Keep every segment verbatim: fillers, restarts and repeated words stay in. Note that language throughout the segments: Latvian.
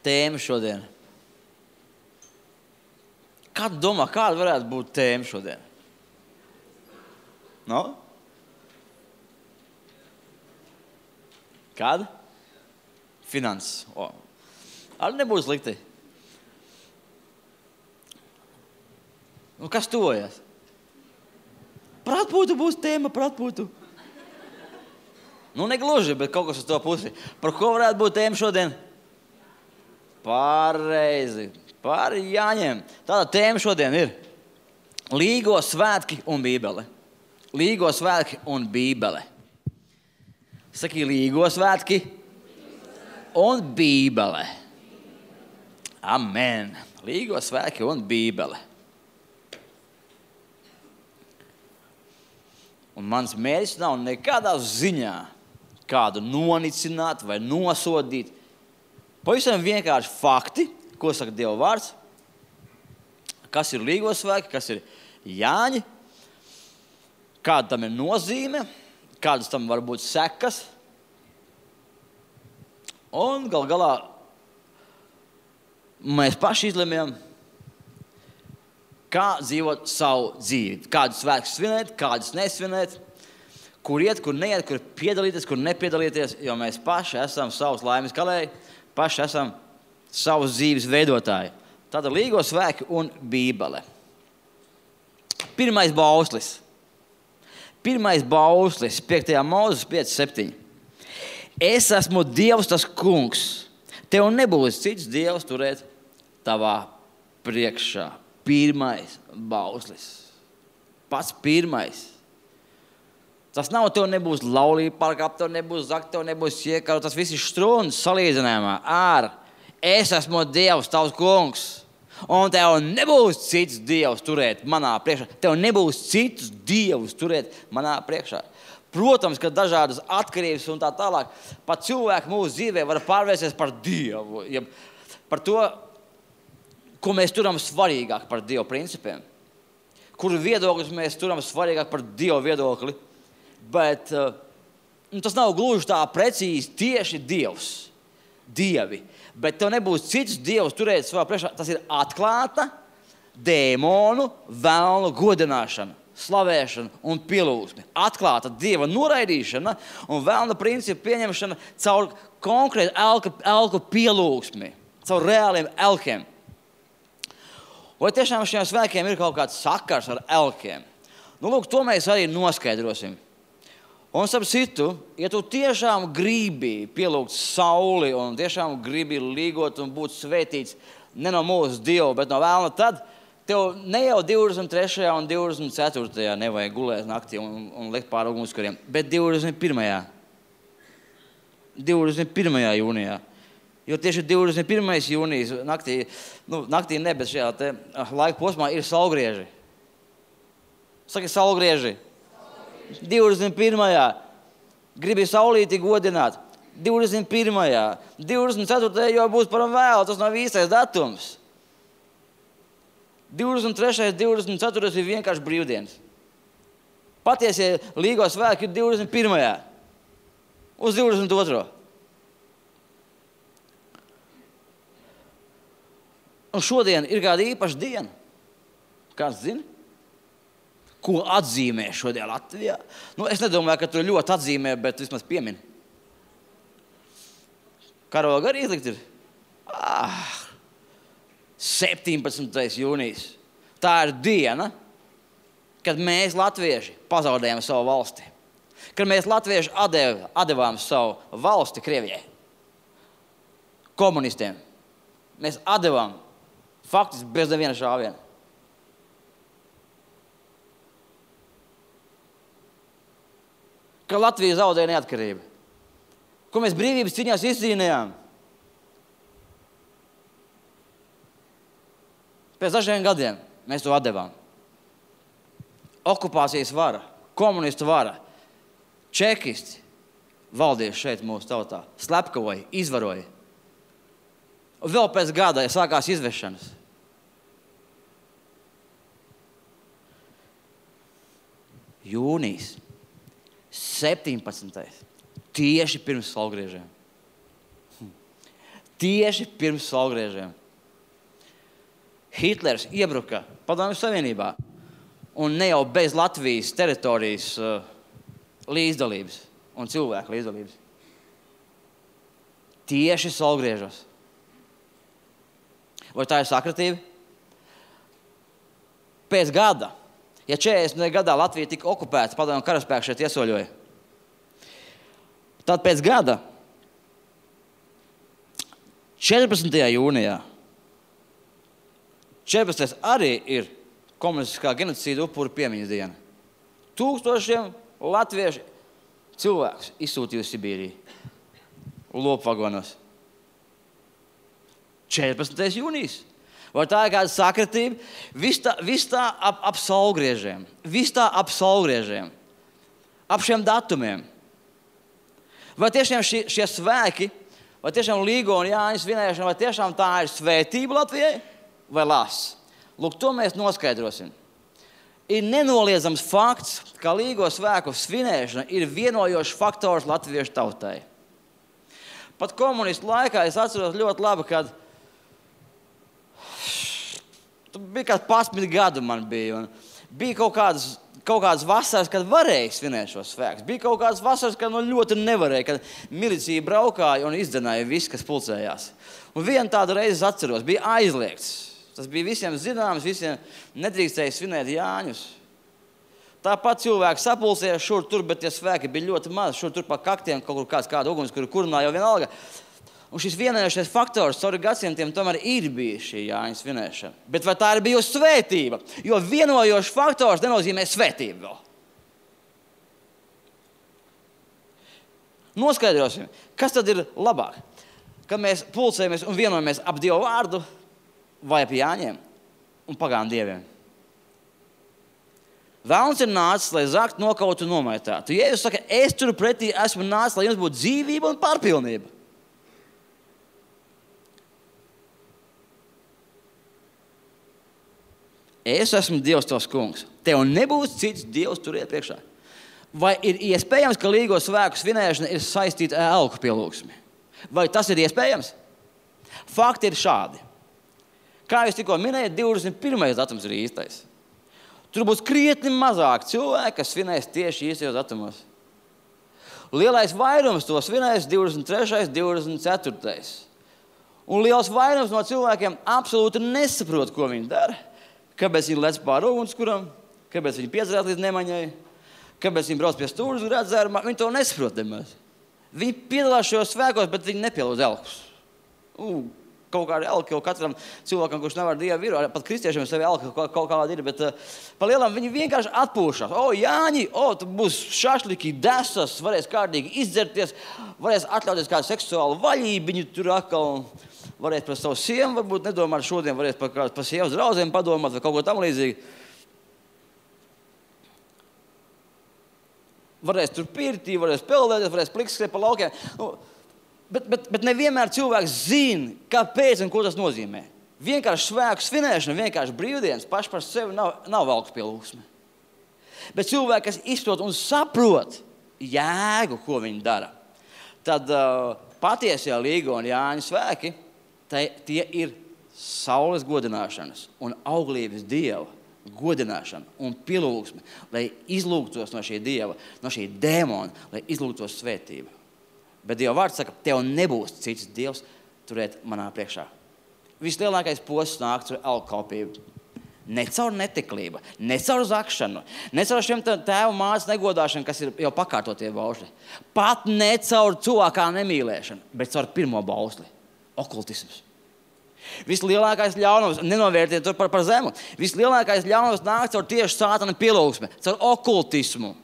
tēma šodien? Kādu domā, kāda varētu būt tēma šodien? No? Kāda? Finanses. O. Arī nebūs slikti. Nu, kas tuvojas? Par atpūtu būs tēma, par atpūtu. Nu, negluži, bet kaut kas uz to pusi. Par ko varētu būt tēma šodien? Pareizi. Par Jāņiem. Tāda tēma šodien ir Līgo svētki un Bībele. Līgo svētki un Bībele. Saki, Līgo svētki un Bībele. Amen. Līgo svētki un Bībele. Un mans mērķis nav nekādā ziņā kādu nonicināt vai nosodīt. Pavisam vienkārši fakti, ko saka Dieva vārds, kas ir Līgo svētki, kas ir Jāņi, kāda tam ir nozīme, kādas tam var būt sekas. Un gal galā mēs paši izlemjam, kā dzīvot savu dzīvi. Kādus svētkus svinēt, kādus nesvinēt, kur iet, kur neiet, kur piedalīties, kur nepiedalīties, jo mēs paši esam savus laimes kalēji, paši esam savus dzīves veidotāji. Tātad Līgo svētki un Bībele. Pirmais bauslis. Pirmais bauslis, piektajā Mūzes pieci septiņi. Es esmu Dievs, tas kungs. Tev nebūs cits Dievs turēt tavā priekšā. Pirmais bauslis. Pats pirmais. Tas nav, tev nebūs laulība pārkāpt, tev nebūs zakt, tev nebūs iekaru. Tas viss ir struns salīdzinājumā ar es esmu Dievs, tavs kungs, un tev nebūs cits Dievs turēt manā priekšā. Tev nebūs citus Dievus turēt manā priekšā. Protams, ka dažādas atkarības un tā tālāk, pat cilvēki mūsu dzīvē var pārvērsties par Dievu, ja par to, ko mēs turam svarīgāk par Dievu principiem, kuru viedokļus mēs turam svarīgāk par Dievu viedokli, bet nu, tas nav gluži tā precīzi tieši Dievs, Dievi. Bet tev nebūs cits Dievs turēt savā priekšā. Tas ir atklāta dēmonu, velnu godināšana, slavēšana un pielūgsme. Atklāta Dieva noraidīšana un velna principu pieņemšana caur konkrētu elku, elku pielūgsmi, caur reāliem elkiem. Vai tiešām šiem svētkiem ir kaut kāds sakars ar elkiem? Nu, lūk, to mēs arī noskaidrosim. Un starp citu, ja tu tiešām gribi pielūgt sauli un tiešām gribi līgot un būt svētīts ne no mūsu Dieva, bet no velna, tad tev ne jau divdesmit trešajā un divdesmit ceturtajā nevajag gulēt naktī un, un likt pār ugunskuriem, bet divdesmit pirmajā divdesmit pirmajā jūnijā. Jo tieši divdesmit pirmais jūnijas naktī, nu, naktī ne, bet šajā te laika posmā ir saulgrieži. Saki, saulgrieži. divdesmit pirmajā gribi saulīti godināt. divdesmit pirmajā divdesmit ceturtajā jau būs par vēlu, tas nav īstais datums. divdesmit trešais divdesmit ceturtais ir vienkārši brīvdienas. Patiesie Līgo svētki ir divdesmit pirmajā uz divdesmit otro Un šodien ir kāda īpaša diena. Kāds zina? Ko atzīmē šodien Latvijā? Nu, es nedomāju, ka tu ļoti atzīmē, bet vismaz piemin. Karoga arī izlikt ir? Ah, septiņpadsmitais jūnijas. Tā ir diena, kad mēs latvieši pazaudējam savu valsti. Kad mēs latvieši adev, adevām savu valsti Krievijai. Komunistiem. Mēs adevām faktiski bez neviena šāviena. Ka Latvija zaudēja neatkarību. Ko mēs brīvības cīņās izcīnījām. Pēc dažiem gadiem mēs to atdevām. Okupācijas vara, komunistu vara, čekisti valdīja šeit mūsu tautā, slepkavoja, izvaroja. Un vēl pēc gada sākās izvešanas. Jūnijas. septiņpadsmitais Tieši pirms saulgriežiem. Tieši pirms saulgriežiem. Hitlers iebruka Padomju Savienībā un ne jau bez Latvijas teritorijas uh, līdzdalības un cilvēku līdzdalības. Tieši saulgriežos. Vai tā ir sakratība? Pēc gada, ja četrdesmitajā gadā Latvija tika okupēta, padomju karaspēki šeit iesoļoja, tad pēc gada, četrpadsmitajā jūnijā, četrpadsmitais arī ir komunistiskā genocīda upuru piemiņas diena. Tūkstošiem latviešu cilvēkus izsūtīja uz Sibīriju, lopvagonos. četrpadsmitais jūnijas. Vai tā ir kāda sakratība? Viss tā, vis tā ap, ap saulgriežiem. Viss tā ap saulgriežiem. Ap šiem datumiem. Vai tiešām šie, šie svēki, vai tiešām Līgo un Jāņa svinēšana, vai tiešām tā ir svētība Latvijai? Vai lās? Lūk, to mēs noskaidrosim. Ir nenoliedzams fakts, ka Līgo svēku svinēšana ir vienojošs faktors latviešu tautai. Pat komunistu laikā es atceros ļoti labi, kad bija kāds pasmit gadu man bija, un bija kaut kādas, kaut kādas vasaras, kad varēja svinēt šos svēkus. Bija kaut kādas vasaras, kad nu ļoti nevarēja, kad milicija braukāja un izdzenāja visu, kas pulcējās. Un vienu tādu reizi atceros, bija aizliegts. Tas bija visiem zināms, visiem nedrīkstēja svinēt Jāņus. Tāpat cilvēki sapulcējās šur tur, bet tie svēki bija ļoti maz. Šur tur pa kaktiem kaut kur kāds kāda uguns, kuru kurināja jau vienalga. Un šis vienojošais faktors cauri gadsimtiem tomēr ir bijis šī Jāņa svinēšana. Bet vai tā ir bijusi svētība? Jo vienojošs faktors nenozīmē svētību vēl. Noskaidrosim, kas tad ir labāk? Kad mēs pulcējamies un vienojamies ap Dievu vārdu vai ap Jāņiem un pagānu dieviem. Velns ir nācis, lai zakt, nokautu un nomaitātu. Jēzus saka, es tur pretī esmu nācis, lai jums būtu dzīvība un pārpilnība. Es esmu Dievs tavs kungs. Tev nebūs cits Dievs turiet priekšā. Vai ir iespējams, ka Līgo svēku svinēšana ir saistīta ar elku pielūgsmi? Vai tas ir iespējams? Fakti ir šādi. Kā jūs tikko minējat, divdesmit pirmais datums ir īstais. Tur būs krietni mazāk cilvēki, kas svinēs tieši īstajos datumos. Lielais vairums to svinēs divdesmit trešais, divdesmit ceturtais. Un liels vairums no cilvēkiem absolūti nesaprot, ko viņi dara. Kāpēc viņi lec pār ugunskuram, kāpēc viņi piedzerās līdz nemaņai, kāpēc viņi brauc pie stūras grāt dzērumā, viņi to nesaprot nemaz. Viņi piedalās šajos svēkos, bet viņi nepielūdz elkus. U, kaut kāda elka jau katram cilvēkam, kurš nevar Dievu ir, pat kristiešiem sevi elka kaut, kaut kāda ir, bet uh, pa lielam viņi vienkārši atpūšās. O, Jāņi, o, tu būs šašliki, desas, varēs kārtīgi izdzerties, varēs atļauties kādu seksuālu vaļībiņu tur atkal. Varēs par savu sievu, varbūt nedomāt šodien, varēs par, par sievas drauzēm padomāt vai kaut ko tam līdzīgi. Varēs tur pirtī, varēs peldēties, varēs plikskrēt pa laukiem. Nu, bet, bet, bet nevienmēr cilvēks zina, kāpēc un ko tas nozīmē. Vienkārši svēku svinēšana, vienkārši brīvdienas paši par sevi nav, nav elku pielūgsme. Bet cilvēki, kas izprot un saprot jēgu, ko viņi dara, tad uh, patiesie Līgo un Jāņa svēki, Tai, tie ir saules godināšanas un auglības Dieva godināšana un pielūgsme, lai izlūgtos no šī Dieva, no šī dēmona, lai izlūgtos svētību. Bet Dieva vārds saka, tev nebūs cits Dievs turēt manā priekšā. Vislielākais posts nāk caur elkkalpību. Ne caur netiklību, ne caur zakšanu, ne caur šiem tēvu mātes negodāšanu, kas ir jau pakārtotie baušļi. Pat ne caur cilvēkā nemīlēšanu, bet caur pirmo bausli. Okultisms. Vislielākais ļaunums, nenovērtiet to par, par zemu, vislielākais ļaunums nāk caur tieši sātana pielūgsmi, caur okultismu.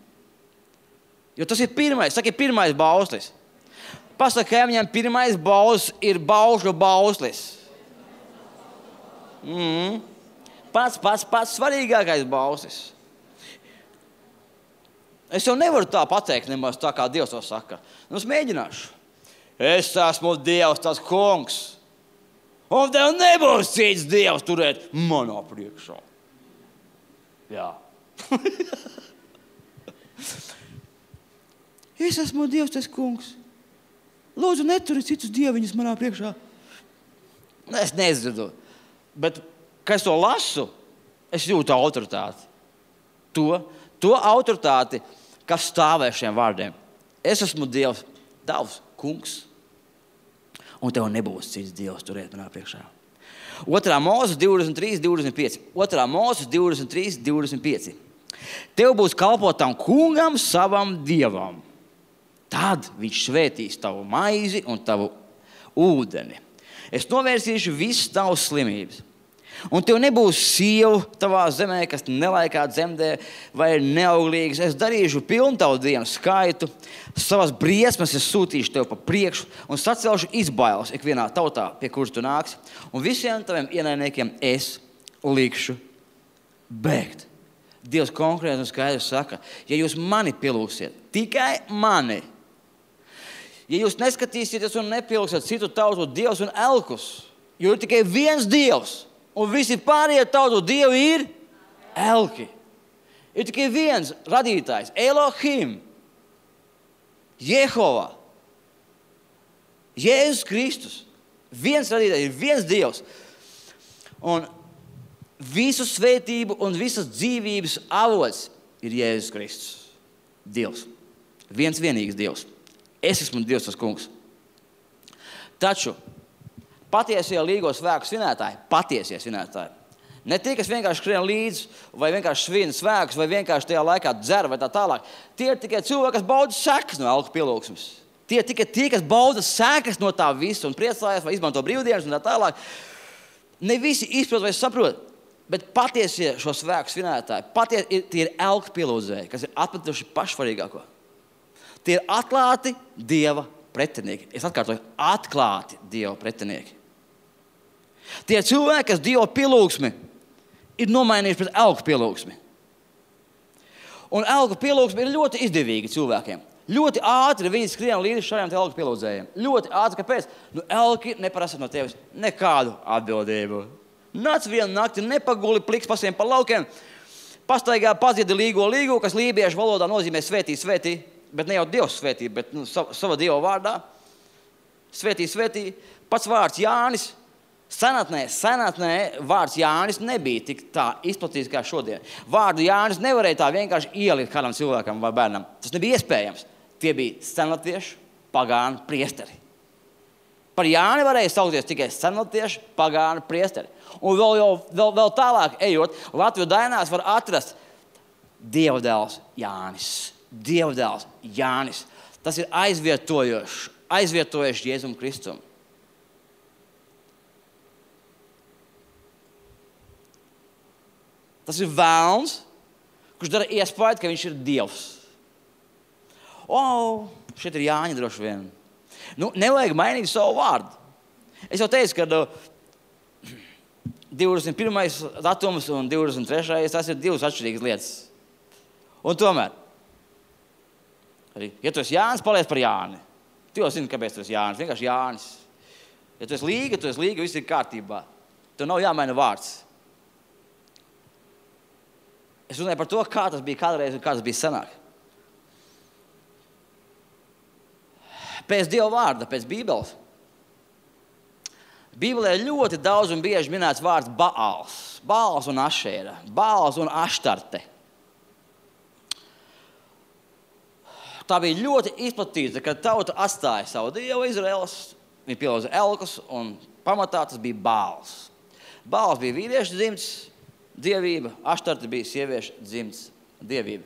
Jo tas ir pirmais, saka, ir pirmais bauslis. Pasaka, viņam pirmais bauslis ir baušļu bauslis. Mm. Pats, pats, pats svarīgākais bauslis. Es jau nevaru tā pateikt nemaz tā, kā Dievs to saka. Nu, es mēģināšu. Es esmu Dievs, tas kungs. Un tev nebūs cits Dievs turēt manā priekšā. Jā. Es esmu Dievs, tas kungs. Lūdzu, neturi citus dieviņus manā priekšā. Es nezinu. Bet, kad es to lasu, es jūtu autoritāti. To, to autoritāti, kas stāvē šiem vārdiem. Es esmu Dievs, tavs kungs. Un tev nebūs cits Dievs turēt manā priekšā. Otrā Mūzes divdesmit trīs, divdesmit pieci. Otrā Mūzes divdesmit trīs, divdesmit pieci. Tev būs kalpot tam kungam, savam Dievam. Tad viņš svētīs tavu maizi un tavu ūdeni. Es novērsīšu visas tavas slimības. Un tev nebūs sievu tavā zemē, kas nelaikā dzemdē vai ir neauglīgas. Es darīšu pilnu tavu dienu skaitu. Savas briesmas es sūtīšu tev pa priekšu un sacelšu izbailes ikvienā tautā, pie kuras tu nāksi. Un visiem taviem ienaidniekiem es likšu bēgt. Dievs konkrēti un skaidri saka, ja jūs mani pielūgsiet, tikai mani, ja jūs neskatīsieties un nepielūgsiet citu tautu dievus un elkus, jo ir tikai viens Dievs, un visi pārējie tautu dievi ir elki. Ir tikai viens radītājs, Elohim, Jehova, Jēzus Kristus. Viens radītājs, ir viens Dievs. Un visu svētību un visas dzīvības avots ir Jēzus Kristus. Dievs. Viens vienīgs Dievs. Es esmu Dievs tas kungs. Taču patiesie līgo svēku svinētāji, patiesie svinētāji, ne tie, kas vienkārši skrien līdzi, vai vienkārši svin svēkus, vai vienkārši tajā laikā dzer, vai tā tālāk. Tie ir tikai cilvēki, kas bauda sekas no elku pielūgsmes. Tie ir tikai tie, kas bauda sekas no tā visa un priecājas, vai izmanto brīvdienas un tā tālāk. Ne visi izprot vai saprot, bet patiesie šo svēku svinētāji, patie, tie ir elku pielūdzēji, kas ir atmetuši pašvarīgāko. Tie ir atklāti Dieva pretinieki. Es atkārtoju, atklāti Dieva pretinieki. Tie cilvēki, kas Dieva pielūgsmi ir nomainījuši pret elku pielūgsmi. Un elku pielūgsmi ir ļoti izdevīgi cilvēkiem. Ļoti ātri viņi skrien līdz šādiem elku pielūdzējiem. Ļoti ātri, kāpēc? Nu, elki neprasa no tevis nekādu atbildību. Nāc vienu nakti, nepaguli pliks pasiem pa laukiem, pastaigā padziedi līgo līgu, kas lībiešu valodā nozīmē svētī, svētī, bet ne jau Dievs svētī, bet nu, sava, sava Dieva vārdā. Svētī, svētī. Pats vārds Jānis. Senatnē, senatnē vārds Jānis nebija tik tā izplatīts kā šodien. Vārdu Jānis nevarēja tā vienkārši ielikt kādam cilvēkam vai bērnam. Tas nebija iespējams. Tie bija senlatviešu pagānu priesteri. Par Jāni varēja saukties tikai senlatviešu pagānu priesteri. Un vēl, jau, vēl, vēl tālāk ejot, Latviju dainās var atrast Dievdēls Jānis. Dievdēls Jānis. Tas ir aizvietojošs, aizvietojošs Jēzum Kristum. Tas ir vēlns, kurš dara iespēju, ka viņš ir Dievs. O, šeit ir Jāņa droši vien. Nu, nevajag mainīt savu vārdu. Es jau teicu, ka uh, divdesmit pirmais datums un divdesmit trešais tas ir divas atšķirīgas lietas. Un tomēr, arī, ja tu esi Jānis, paliec par Jāni. Tu jau zini, kāpēc tu esi Jānis. Vienkārši Jānis. Ja tu esi līga, tu esi līga, viss ir kārtībā. Tev nav jāmaina vārds. Es runāju par to, kā tas bija kādreiz un kā tas bija senāk. Pēc Dieva vārda, pēc Bībeles. Bībelē ļoti daudz un bieži minēts vārds Baāls. Baāls un Ašēra. Baāls un Aštarte. Tā bija ļoti izplatīta, kad tauta atstāja savu Dievu Izraēlas. Viņi pielūdza elkus un pamatā tas bija Baāls. Baāls bija vīriešu dzimts dievība, Aštarte bija sieviešu dzimts dievība.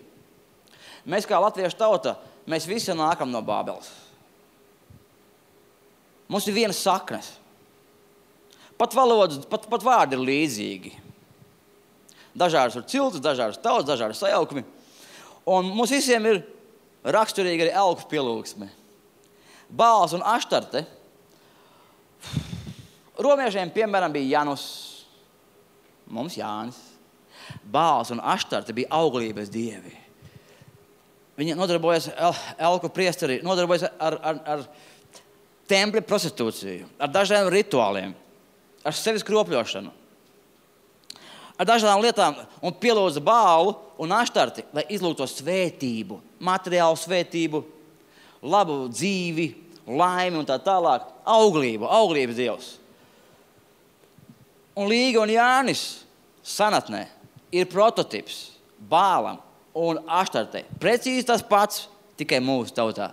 Mēs kā latviešu tauta, mēs visi nākam no Bābeles. Mums ir vienas saknes. Pat valodas, pat, pat vārdi ir līdzīgi. Dažādas ir ciltis, dažādas tautas, dažādas sajaukumi. Un mums visiem ir raksturīgi arī elku pielūgsme. Baāls un Aštarte. Romiešiem, piemēram, bija Janus. Mums Jānis. Baāls un Aštarte bija auglības dievi. Viņi nodarbojas el, elku priesteri, nodarbojas ar, ar, ar templi prostitūciju, ar dažādiem rituāliem, ar sevis kropļošanu, ar dažādām lietām un pielūdza Baālu un Aštarti, lai izlūgtu svētību, materiālu svētību, labu dzīvi, laimi un tā tālāk. Auglību, auglības dievs. Un Līga un Jānis senatnē ir prototips Bālam un Aštartei. Precīzi tas pats, tikai mūsu tautā.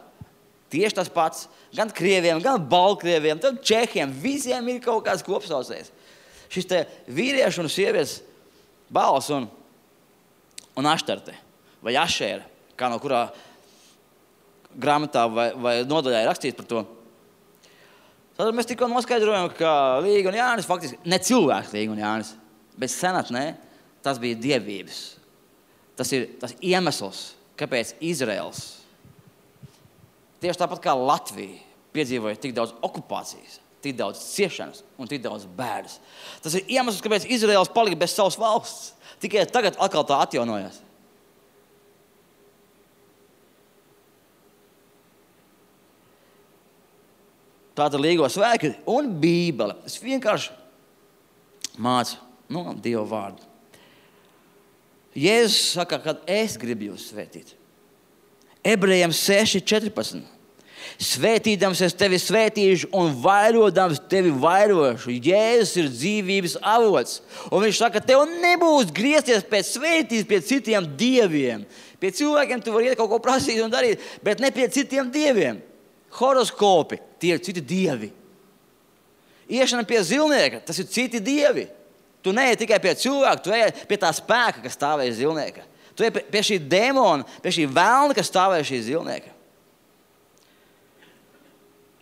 Tieši tas pats. Gan krieviem, gan baltkrieviem, gan čehiem. Visiem ir kaut kāds kopsaucējs. Šis te vīrieši un sievietes Bāls un, un Aštarte. Vai Ašēra, kā no kurā grāmatā vai, vai nodaļā ir rakstīts par to. Tad mēs tikko noskaidrojam, ka Līga un Jānis faktiski, ne cilvēks Līga un Jānis, bet senatnē, tas bija dievības. Tas ir tas iemesls, kāpēc Izraels tieši tāpat kā Latvija piedzīvoja tik daudz okupācijas, tik daudz ciešanas un tik daudz bēdas. Tas ir iemesls, kāpēc Izraels palika bez savas valsts. Tikai tagad atkal tā atjaunojās. Tātad Līgo svēki un Bībele. Es vienkārši mācu no Dieva vārdu. Jēzus saka, kad es gribu jūs svētīt. Ebrejiem seši četrpadsmit. Svētīdams es tevi svētīšu un vairojams tevi vairošu. Jēzus ir dzīvības avots. Un viņš saka, tev nebūs griezties pēc svētības pie citiem dieviem. Pie cilvēkiem tu vari iet kaut ko prasīt un darīt, bet ne pie citiem dieviem. Horoskopi, tie ir citi dievi. Iešana pie zilnieka, tas ir citi dievi. Tu neej tikai pie cilvēka, tu ej pie tā spēka, kas stāvēja zilnieka. Tu ej pie šī demona, pie šī vēlna, kas stāvēja šī zilnieka.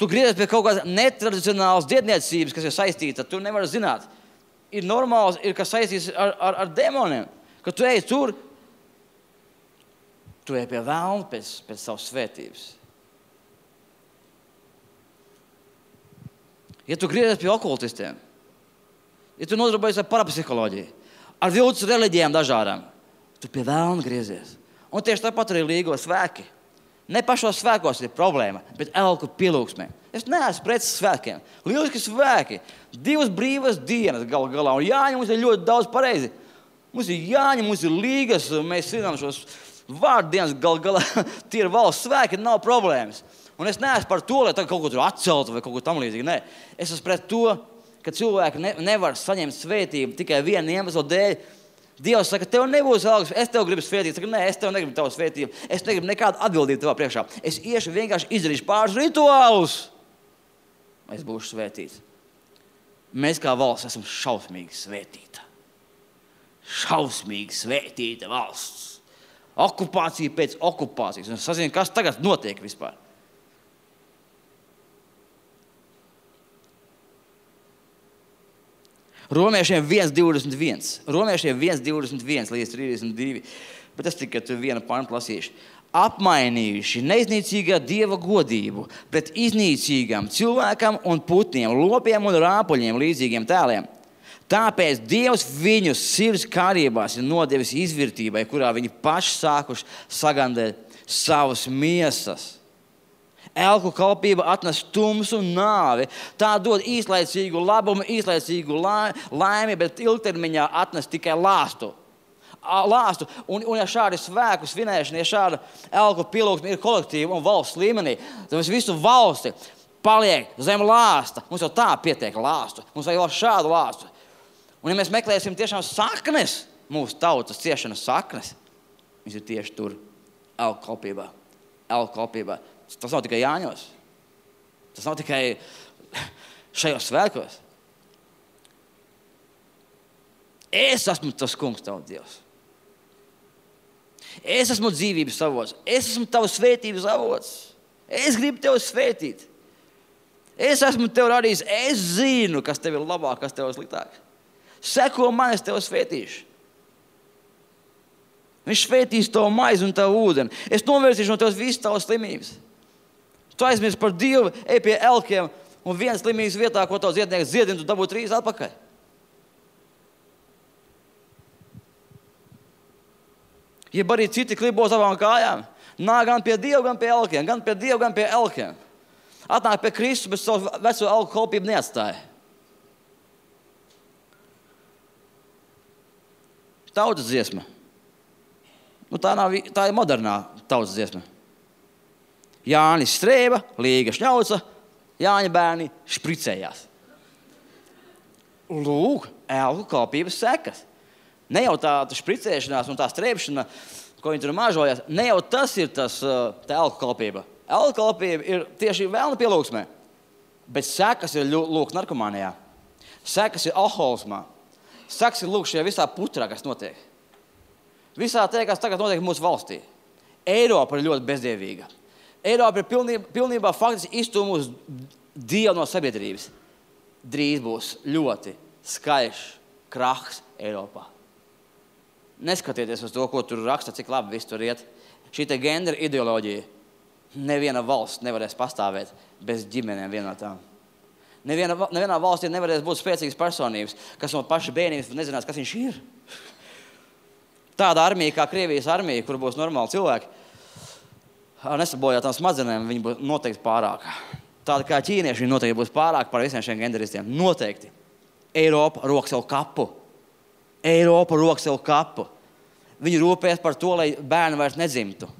Tu griezies pie kaut kādas netradicionālas dietniecības, kas ir saistīta, tu nevari zināt. Ir normāls, ir kas saistīts ar, ar, ar demoniem. Kad tu ej tur, tu ej pie vēlna pēc, pēc savas svētības. Ja tu griezies pie okultistiem, ja tu nodarbojies ar parapsiholoģiju, ar viltus reliģijām dažādām, tu pie vēlna griezies. Un tieši tāpat arī Līgo svēki. Ne pašos svēkos ir problēma, bet elku pielūgsmē. Es neesmu pret svēkiem. Lieliski svēki. Divas brīvas dienas gal galā. Un jāņem mums ir ļoti daudz pareizi. Mums ir jāņem, mums ir līgas, mēs zinām šos vārdienas gal galā. Tie ir valsts svēki, nav problēmas. Un es neesmu par to, lai tagad kaut ko tur atceltu vai kaut ko tam līdzīgi. Nē, es esmu pret to, ka cilvēki ne, nevar saņemt svētību tikai vienu iemeslu dēļ. Dievs saka, tev nebūs algas, es tev gribu svētīt. Saka, nē, es tev negribu tavu svētību. Es negribu nekādu atbildību tavā priekšā. Es iešu vienkārši izdarīšu pāris rituālus. Es būšu svētīts. Mēs kā valsts esam šausmīgi svētīta. Šausmīgi svētīta valsts. Okupācija pēc okupācijas. Un es sazinu, kas tagad notiek vispār. Romiešiem viens divdesmit viens. Romiešiem viens divdesmit viens līdz trīsdesmit divi. Bet es tikai tu vienu pantu lasīšu. Apmainījuši neiznīcīgā Dieva godību pret iznīcīgām cilvēkam un putniem, lopiem un rāpuļiem līdzīgiem tēliem. Tāpēc Dievs viņus sirds kārībās ir nodevis izvirtībai, kurā viņi paši sākuši sagandēt savas miesas. Elku kalpība atnes tumsu un nāvi. Tā dod īslaicīgu labumu, īslaicīgu laimi, bet ilgtermiņā atnes tikai lāstu. lāstu. Un, un ja šādi svēku svinēšana, ja šāda elku pielūgsme ir kolektīva un valsts līmenī, tad mēs visu valsti paliek zem lāsta. Mums jau tā pietiek lāstu. Mums vajag vēl šādu lāstu. Un ja mēs meklēsim tiešām saknes, mūsu tautas ciešanas saknes, viņas ir tieši tur, elku kalpībā. Elku kalpībā. Tas nav tikai Jāņos. Tas nav tikai šajos svētkos. Es esmu tas kungs, tavs Dievs. Es esmu dzīvības avots. Es esmu tavs svētības avots. Es gribu tevi svētīt. Es esmu tev radījis. Es zinu, kas tev ir labāk, kas tev ir sliktāk. Seko man, es tevi svētīšu. Viņš svētīs tavu maizi un tavu ūdeni. Es novērsīšu no tevs visas tavas slimības. Tu aizmirsti par Dievu, ej pie elkiem un viens slimības vietā, ko tavs ziednieks ziedina, tu dabū trīs atpakaļ. Ja arī citi klibo savām kājām, nāk gan pie Dieva, gan pie elkiem, gan pie Dieva, gan pie elkiem. Atnāk pie Kristus, bet savu veco elku kalpību neatstāja. Tautas dziesma. Nu, tā, nav, tā ir modernā tautas dziesma. Jānis strēba, Līga šņauca, Jāņa bērni špricējās. lūk, elku kalpības sekas. Ne jau tā, tā špricēšanās un tā strēpšana, ko viņi tur mažojas, ne jau tas ir tas, tā elku kalpība. Elku kalpība ir tieši vēlna pielūgsmē, bet sekas ir lūk narkomānijā. Sekas ir alkoholismā. Sekas ir lūk šajā visā putrā, kas notiek. Visā tie, kas tagad notiek mūsu valstī. Eiropa ir ļoti bezdievīga. Eiropa ir pilnībā, pilnībā faktiski izstūmusi Dievu no sabiedrības. Drīz būs ļoti skaļš krahs Eiropā. Neskatieties uz to, ko tur raksta, cik labi viss tur iet. Šī te gendera ideoloģija. Neviena valsts nevarēs pastāvēt bez ģimenēm vienotām. Neviena, nevienā valstī nevarēs būt spēcīgas personības, kas no paša bērnības nezinās, kas viņš ir. Tāda armija kā Krievijas armija, kur būs normāli cilvēki, ar nesabojātām smadzenēm, viņi būs noteikti pārāk. Tāda kā ķīnieši, viņi noteikti būs pārāk par visiem šiem genderistiem. Noteikti. Eiropa rok sev kapu. Eiropa rok sev kapu. Viņi rūpēs par to, lai bērni vairs nedzimtu.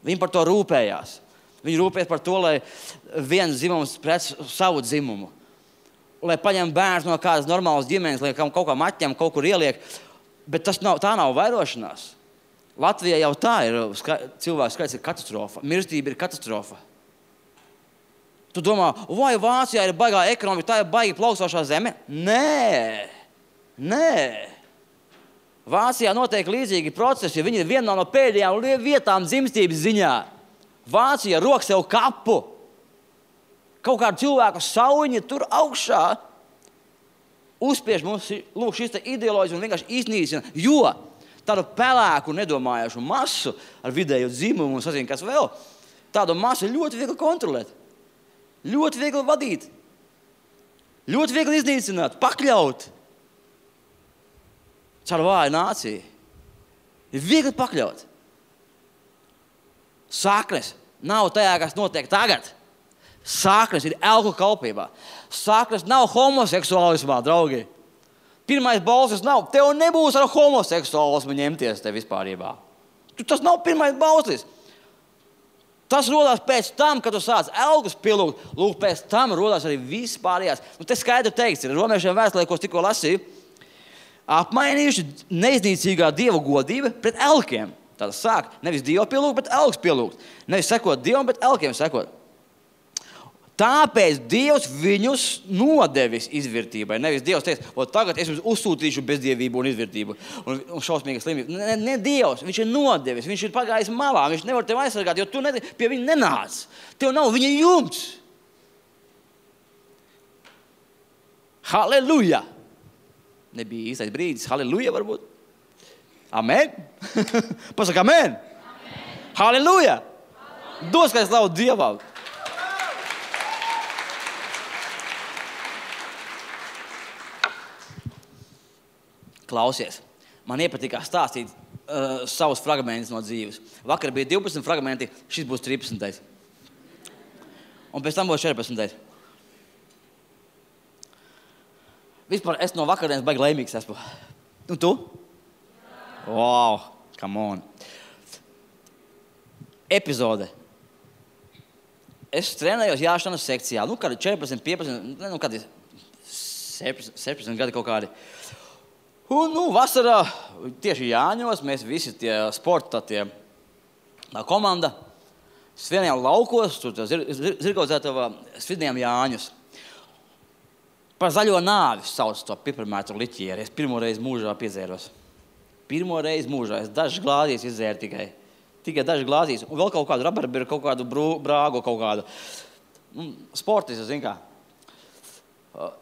Viņi par to rūpējās. Viņi rūpēs par to, lai viens dzimums pret savu dzimumu. Lai paņem bērns no kādas normālas ģimenes, lai kaut kā atņem, kaut kur ieliek. Bet tas nav, tā nav vairošanās. Latvijā jau tā ir, ska, cilvēku skaits ir katastrofa. Mirstība ir katastrofa. Tu domā, vai Vācijā ir baigā ekonomika, tā ir baigi plaukstošā zeme? Nē, nē. Vācijā notiek līdzīgi procesi, jo viņi ir vienā no pēdējām vietām dzimstības ziņā. Vācija rok sev kapu. Kaut kādu cilvēku sauņi tur augšā uzspiež mums lūk šis te ideoloģijas un vienkārši iznīcina, jo tādu pelēku nedomājošu masu ar vidēju dzimumu un sazinu, kas vēl, tādu masu ļoti viegli kontrolēt, ļoti viegli vadīt, ļoti viegli iznīcināt, pakļaut. Caur vāju nāciju. Ir viegli pakļaut. Saknes nav tajā, kas notiek tagad. Saknes ir elku kalpībā. Saknes nav homoseksuālismā, draugi. Pirmais balsis nav. Tev nebūs ar homoseksuālismu ņemties te vispārībā. Tas nav pirmais balsis. Tas rodās pēc tam, kad tu sāc elgus pielūgt. Lūk, pēc tam rodās arī vispārējās. Nu, te skaidri teikts, ir romiešiem vēstulē, ko es tikko lasīju, apmainījuši neiznīcīgā Dieva godība pret elkiem. Tātad sāk nevis Dievu pielūgt, bet elgus pielūgt. Nevis sekot Dievam, bet elkiem sekot. Tāpēc Dievs viņus nodevis izvirtībai. Nevis Dievs teiks, o tagad es jums uzsūtīšu bezdievību un izvirtību un, un šausmīgu slimību. Ne, ne Dievs, viņš ir nodevis, viņš ir pagājis malā, viņš nevar tevi aizsargāt, jo tu ne, pie viņa nenāc. Tev nav viņa jumts. Halleluja! Nebija īstais brīdis. Halleluja varbūt. Amen. Pasaka amen. Amen. Halleluja. Dos, kā es slavu Dievam. Klausies. Man iepatikās stāstīt uh, savus fragmentus no dzīves. Vakar bija divpadsmit fragmenti, šis būs trīspadsmitais. Un pēc tam būs četrpadsmitais. Vispār es no vakardienas baigi laimīgs esmu. Un tu? Wow, come on. Epizode. Es trenējos jāšanas sekcijā. Nu, kādi četrpadsmit, piecpadsmit, nu, kādi septiņdesmit gadi kaut kādi. Un, nu, vasarā, tieši Jāņos, mēs visi tie sporta, tie tā komanda, svinējām laukos, tur zir, zir, zirgaudzētavā, svinējām Jāņus. Par zaļo nāvi sauc to piparmētru liķieri. Es pirmo reizi mūžā piedzēros. Pirmo reizi mūžā. Es dažas glāzīs izdzēru tikai. Tikai dažas glāzīs. Un vēl kaut kādu rabarberu, kaut kādu brū, brāgu, kaut kādu. Sportis, zin kā.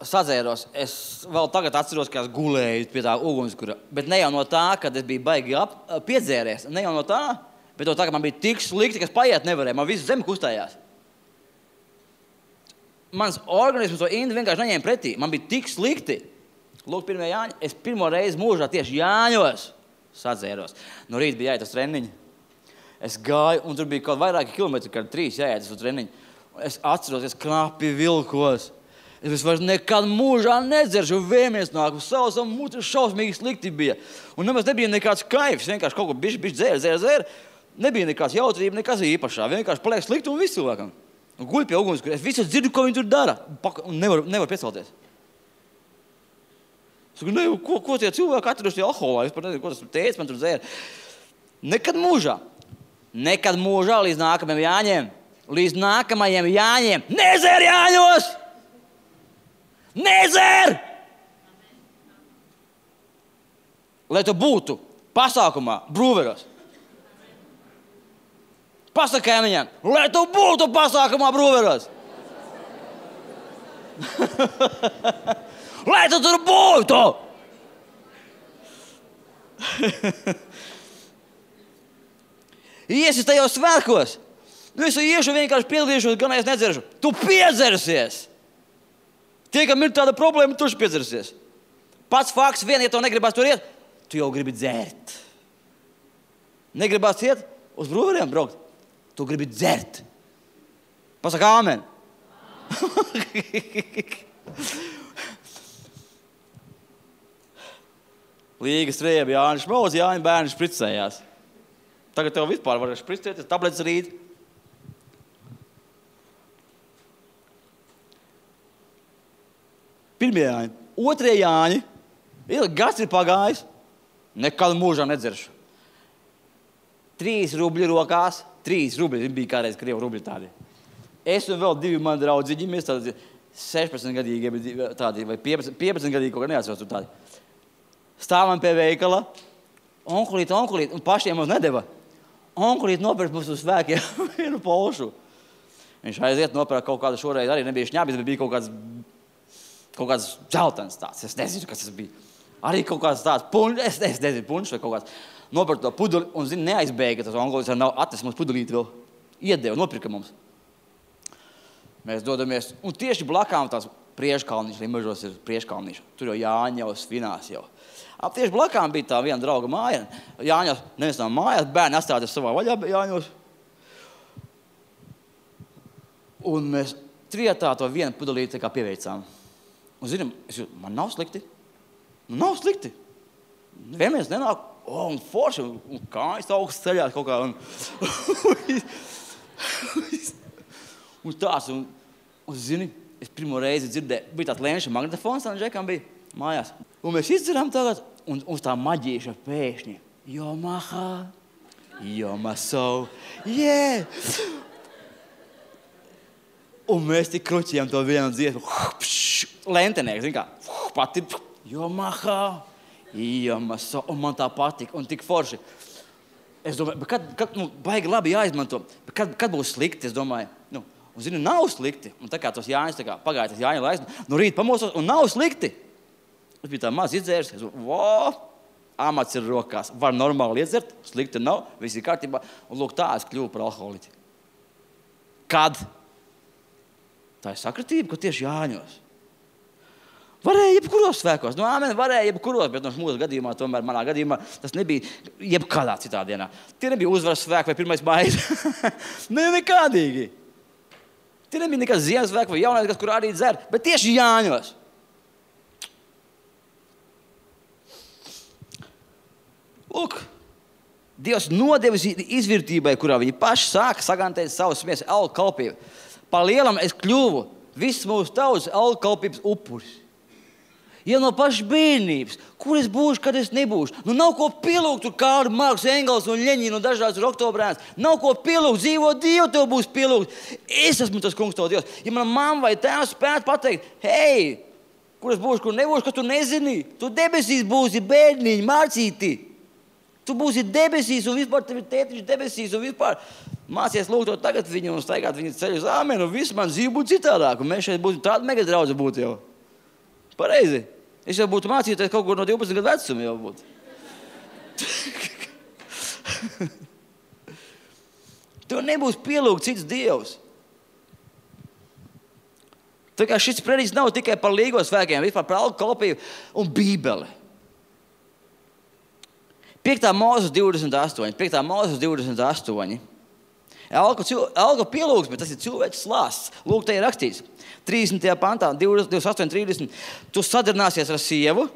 Sadzēros. Es vēl tagad atceros, ka es gulēju pie tā ugunskura. Bet ne jau no tā, kad es biju baigi ap, piedzēries. Ne jau no tā, bet no tā, ka man bija tik slikti, ka es paiet nevarēju. Man visu zemi kustējās. Mans organisms to indi vienkārši neņēma pretī. Man bija tik slikti. Lūk, pirmie Jāņi. Es pirmo reizi mūžā tieši Jāņos sadzēros. No rīta bija jāiet uz treniņu. Es gāju, un tur bija kaut vairāki kilometri, kad trīs jāiet uz treniņu. Es atceros, es knapi vilkos. Es vairs nekad mūžā nedzeršu, vēmies nāku. Sausam muti šausmīgi slikti bija. Un nemaz nebija nekāds kaifs. Vienkārši kaut ko bišķi, bišķi dzēra, dzēra, dzēra. Nebija nekāds jautrība, nekas īpašā. Vienkārši paliek slikti un visu cilvēkam. Un guļ pie ugunskura. Es visu dzirdu, ko viņi tur dara. Un nevar, nevar piecelties. Es saku, ne, ko, ko tie cilvēki atraduši alkoholā? Es pat nezinu, ko tas teica, man tur dzēra. Nekad mūžā. Nekad mūžā līdz nākamajiem Jāņiem. Līdz nākamajiem Jāņiem. Nedzer Jāņos! Nedzer! Lai tu būtu pasākumā, brūveros. Pasakā viņam, lai tu būtu pasākumā, brūveros. Lai tu tur būtu! Iesi tajos svētkos. Nu, es iešu vienkārši piedalīšos, gan es nedzeršu. Tu piedzersies. Tie, kam ir tāda problēma, tu piedzersies. Pats fakts, vien, ja to negribās tur iet, tu jau gribi dzert. Negribās iet uz brūveriem braukt. Tu gribi dzert. Pasaka āmen. Līga striebi, Jānis Šmaus, Jāņa bērni špricējās. Tagad tev vispār var špricēties, tabletes rīt. Pirmie Jāņi. Otrie Jāņi. Gads ir pagājis. Nekad mūžā nedzeršu. Trīs rubļi rokās. Trīs rubļi. Bija kādreiz Krievu rubļi tādi. Es un vēl divi mani draudziņi. Mēs tādi sešpadsmit gadīgi tādi, vai piecpadsmit gadīgi, kaut kā neatceros tur tādi. Stāvam pie veikala. Onkulīt, onkulīt. Un pašiem mums nedeva. Onkulīt nopirkt mums uz svēkiem vienu polšu. Viņš aiziet nopirkt kaut kādu šoreiz. Arī nebija šņābis, bet bija kaut kāds, kaut kāds dzeltens tāds. Es nezinu, kas tas bija. Arī kaut kāds tāds puņš, es, es nezinu, puņš vai kaut kāds. Nopirkt to pudeli un, zini, neaizbēga. Tas onkulīts nav atnes mums pudelīti vēl. Iedeva, nopirka mums. Mēs dodamies. Un tieši blakām tās prieškalniņš, arī mežos ir prieškalniņš. Tur jau Jāņa jau svinās jau. Ap tieši blakām bija tā viena drauga māja. Jāņos, nevis nav mājās, bērni atstāties savā vaļā Jāņos. Un mēs trietā to vienu pudelīti kā pieveicām. Un zinām, es jūtu, man nav slikti. Nu, nav slikti. Vienmēr nenāk, o, un forši, un, un kājas augsts ceļās kaut kā. Un, un tās, un, un zini, es pirmo reizi dzirdēju, bija tāds lēnša magnetofons, un Džekam bija mājās. Un mēs izdzirām tagad, un uz tā maģīša pēkšņi. Yomaha, Yomaso, yeah! Un mēs tik kruķījām to vienu dziesmu. Lentenieks, zin kā, pati, Yomaha, Yomaso, un man tā patika, un tik forši. Es domāju, bet kad, kad nu, baigi labi jāizmanto, bet kad, kad būs slikti, es domāju, nu, un zinu, nav slikti. Un tā kā tos Jāņas, tā kā pagāja tas Jāņa laiks, nu rīt pamosos, un nav slikti. Es biju tā maz izdzēris, es domāju, vo, amats ir rokās, var normāli iedzert, slikti nav, viss ir kārtībā, un lūk, tā es kļuvu par alkoholiķi. Kad? Tā ir sakritība, ka tieši Jāņos. Varēja jebkuros svēkos, nu āmen, varēja jebkuros, bet no mūsu gadījumā, tomēr manā gadījumā, tas nebija jebkādā citā dienā. Tie nebija uzvaras svēki vai pirmais mājas. ne, nekādīgi. Tie nebija nekas Ziemassvēki vai jaunais, kas, kur arī dzer, bet tieši Jāņos. Lūk, Dievs nodevis izvirtībai, kurā viņi paši sāka sagantēt savu smiesu alkalpību. Pa lielam es kļuvu viss mūsu tautas alkalpības upuris. Ja no pašas bērnības, kur es būšu, kad es nebūšu. Nu nav ko pielūgt, tur Kārli, Marks, Engels un Ļeņina un dažādas oktobrēns. Nav ko pielūgt, dzīvo Dievu tev būs pielūgt. Es esmu tas kungs tev Dievs. Ja man mamma vai tēvs spētu pateikt, hei, kur es būšu, kur nebūšu, ka tu nezini. Tu debesīs būsi bērniņi, mācīti. Tu būsi debesīs un vispār tev ir tētiņš debesīs un vispār mācies lūgt to tagad viņu un staigāt viņu ceļu uz āmenu un viss man dzīve būtu citādāk. Un mēs šeit būtu tāda mega draudze būtu jau. Pareizi. Es jau būtu mācīties kaut kur no divpadsmit gadu vecuma jau būtu. Tev nebūs pielūgt cits Dievs. Tā kā šis prediķis nav tikai par līgo svēkiem, vispār par alkalpību un Bībeli. Piektā Mūzes divdesmit astoņi. Piektā Mūzes divdesmit astoņi. Alka, alka pielūgs, bet tas ir cilvēks slāsts. Lūk, te ir rakstīts. trīsdesmitajā pantā, divdesmit astoņi trīsdesmit. Tu sadarināsies ar sievu,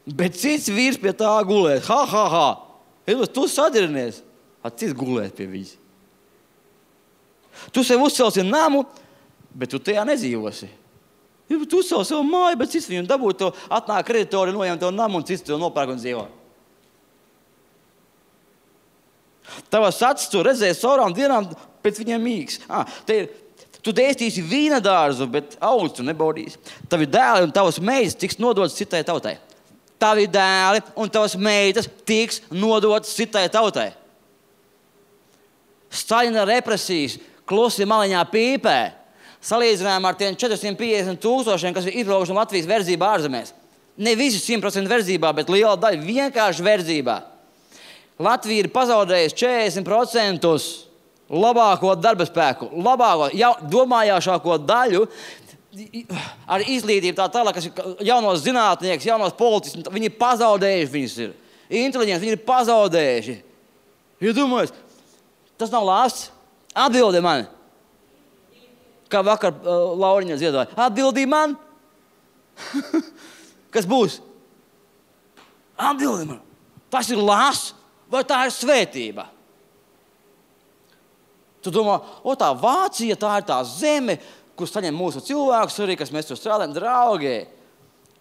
bet cits vīrs pie tā gulēs. Ha, ha, ha. Edos, tu sadarinies. A cits gulēs pie viņas. Tu sev uzcelsi namu, bet tu tajā nedzīvosi. Tu savu savu māju, bet cits viņu dabūt, to atnāk kreditori, noņem to namu un cits to nopērk un dzīvo. Tavas acis tu redzēji saurām dienām, pēc viņiem mīgs. Ah, te ir, tu dēstīsi vīna dārzu, bet augļus tu nebaudīsi. Tavi dēli un tavas meitas tiks nodotas citai tautai. Tavi dēli un tavas meitas tiks nodotas citai tautai. Staļina represijas klusi maliņā pīpē. Salīdzinājumā ar tiem četri simti piecdesmit tūkstošiem, kas ir izbraukuši no Latvijas verdzībā ārzemēs. Ne visi simt procenti verdzībā, bet liela daļa vienkārši verdzībā. Latvija ir pazaudējusi četrdesmit procentus labāko darba spēku, labāko, jau, domājāšāko daļu ar izglītību tā tālāk, kas ir jaunos zinātnieks, jaunos politiskus. Viņi ir pazaudējuši, viņus ir inteliģenti, viņi ir pazaudējuši. Ja domājies, tas nav lāsts? Atbildi man. Kā vakar uh, Lauriņa ziedoja. Atbildi man. Kas būs? Atbildi man. Tas ir lāsts vai tā ir svētība? Tu domā, o tā Vācija, tā ir tā zeme, kur saņem mūsu cilvēkus arī, kas mēs tur strādājam, draugi.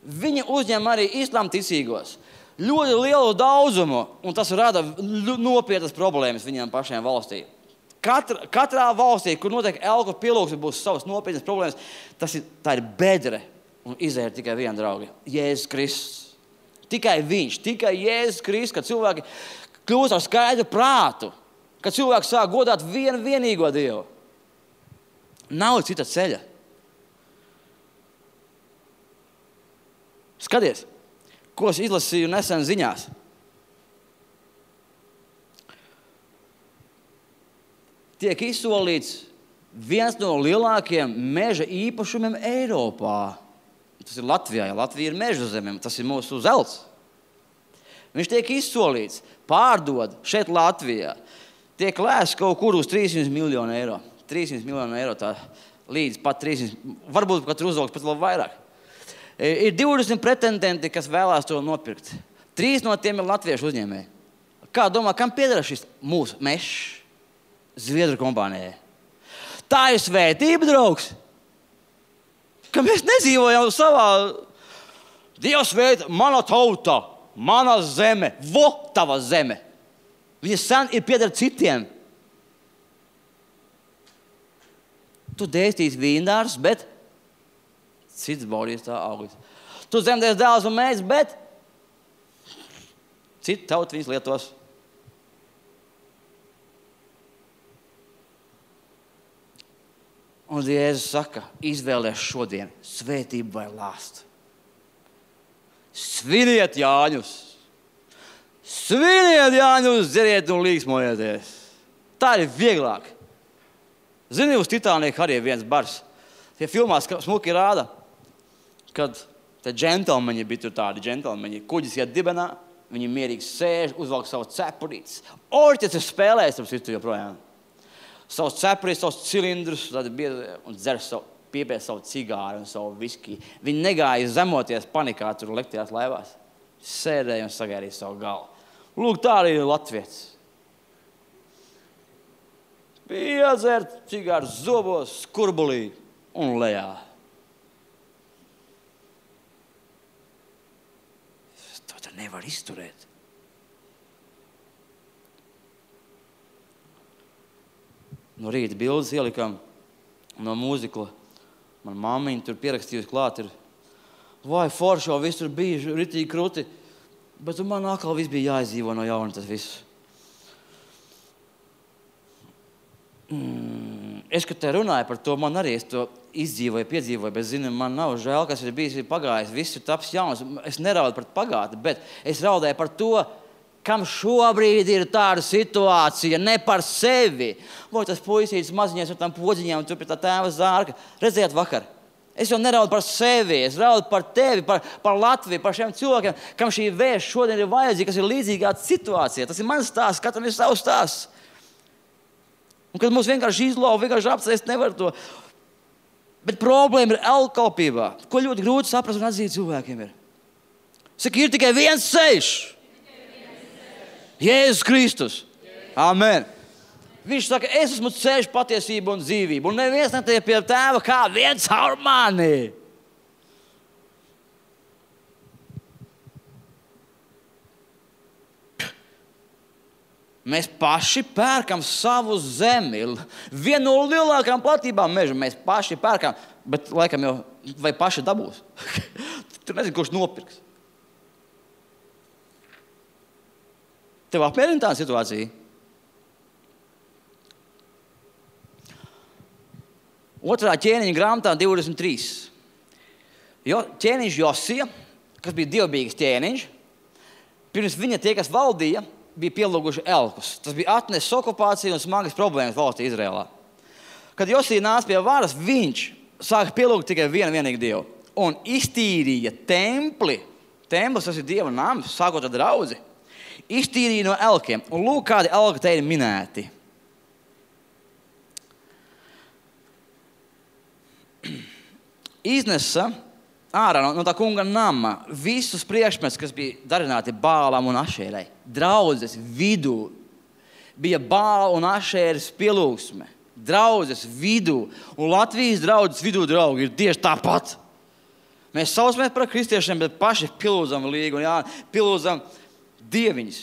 Viņi uzņem arī islāma ticīgos. Ļoti lielu daudzumu, un tas rada nopietnas problēmas viņiem pašiem valstī. Katra, katrā valstī, kur notiek elku pilūks, būs savas nopietnas problēmas, tas ir, tā ir bedre un izēja tikai viena draugi. Jēzus Kristus. Tikai viņš, tikai Jēzus Kristus, kad cilvēki kļūst ar skaidru prātu, kad cilvēki sāk godāt vienu vienīgo Dievu. Nav cita ceļa. Skaties, ko es izlasīju nesen ziņās. Tiek izsolīts viens no lielākajiem meža īpašumiem Eiropā. Tas ir Latvijā, ja Latvija ir meža zemēm, tas ir mūsu zelts. Viņš tiek izsolīts, pārdod šeit Latvijā. Tiek lēsts kaut kur uz trīssimt miljonu eiro. trīssimt miljonu eiro tā līdz pat trīssimt, varbūt pat uzaugs pat vēl vairāk. Ir divdesmit pretendenti, kas vēlās to nopirkt. Trīs no tiem ir latviešu uzņēmēji. Kā domā, kam pieder šis mūsu mežs? Zviedru kompānijai. Tā ir svētība, draugs. Ka mēs nedzīvojam savā Dievs svētī, mana tauta, mana zeme, vo tava zeme. Viņa sen ir pieder citiem. Tu dēstīs vīndārs, bet cits baudīs tā augļus. Tu dzemdēs dēls un meitas, bet citi tauti viņas lietos. Un Jēzus saka, izvēlēs šodien svētību vai lāstu. Sviniet Jāņus! Sviniet Jāņus, dzeriet un līksmojieties! Tā ir vieglāk. Zini, uz Titaniku arī viens bars. Tie filmās smuki rāda, kad te džentelmeņi bija tur tādi džentelmeņi. Kuģis iet dibenā, viņi mierīgi sēž, uzvalk savu cepurītes. Orķes ir spēlējis, tam citu joprojām. Savus cepurīs, savus cilindrus, un dzer savu, piepēc savu cigāru un savu viskiju. Viņi negāja zemoties panikā tur lektajās laivās. Sēdēja un sagaidīja savu galvu. Lūk, tā arī ir latvietis. Piedzert cigāru zobos, skurbulī un lejā. To tā nevar izturēt. No rīta bildes ielikām no mūzikla. Man mammiņa tur pierakstījusi klāt ir. Vai forši jau viss tur bija ritīgi kruti. Bet man atkal viss bija jāizdzīvo no jauna tas viss. Mm, es, kad te runāju par to, man arī es to izdzīvoju, piedzīvoju, bet zinu, man nav žēl, kas ir bijis, ir pagājis. Viss ir taps jauns. Es neraudu par pagātni, bet es raudēju par to, kam šobrīd ir tāda situācija, ne par sevi. Vai tas puisītis maziņais ar tām podziņām, tur pie tā tēva zārka. Redziet vakar, es jau neraudu par sevi, es raudu par tevi, par, par Latviju, par šiem cilvēkiem, kam šī vēsts šodien ir vajadzīga, kas ir līdzīgā situācijā. Tas ir mans stāsts, katram ir savs stāsts. Un kad mums vienkārši izlauva, vienkārši apsēst, nevar to. Bet problēma ir elkalpībā, ko ļoti grūti saprast un atzīt cilvēkiem ir. Saka, ir tikai viens ceļš. Jēzus Kristus. Amen. Viņš saka, es esmu ceļš, patiesība un dzīvība. Un neviens netiek pie tēva kā viens caur mani. Mēs paši pērkam savu zemi. Vienu no lielākām platībām meža mēs paši pērkam, bet laikam jau vai paši dabūs. Tur nezinu, kurš nopirks. Tev apmierina tā situācija? Otrā ķēniņa grāmatā divdesmit trīs. Jo, ķēniņš Josija, kas bija dievbijīgs ķēniņš, pirms viņa tie, kas valdīja, bija pielūguši elkus. Tas bija atnesis okupāciju un smagas problēmas valstī Izrēlā. Kad Josija nāca pie varas, viņš sāka pielūgt tikai vienu vienīgu dievu. Un iztīrīja templi. Templis, tas ir dieva nams, sākot ar draudzi. Iztīrīja no elkiem. Un lūk, kādi elki te ir minēti. Iznesa ārā no, no tā kunga nama visus priekšmetus, kas bija darināti Bālam un Ašērai. Draudzes vidū bija Bāla un Ašēras pielūgsme. Draudzes vidū. Un Latvijas draudzes vidū, draugi, ir tieši tāpat. Mēs saucamies par kristiešiem, bet paši pielūdzam līgu un jā, pielūdzam dieviņus.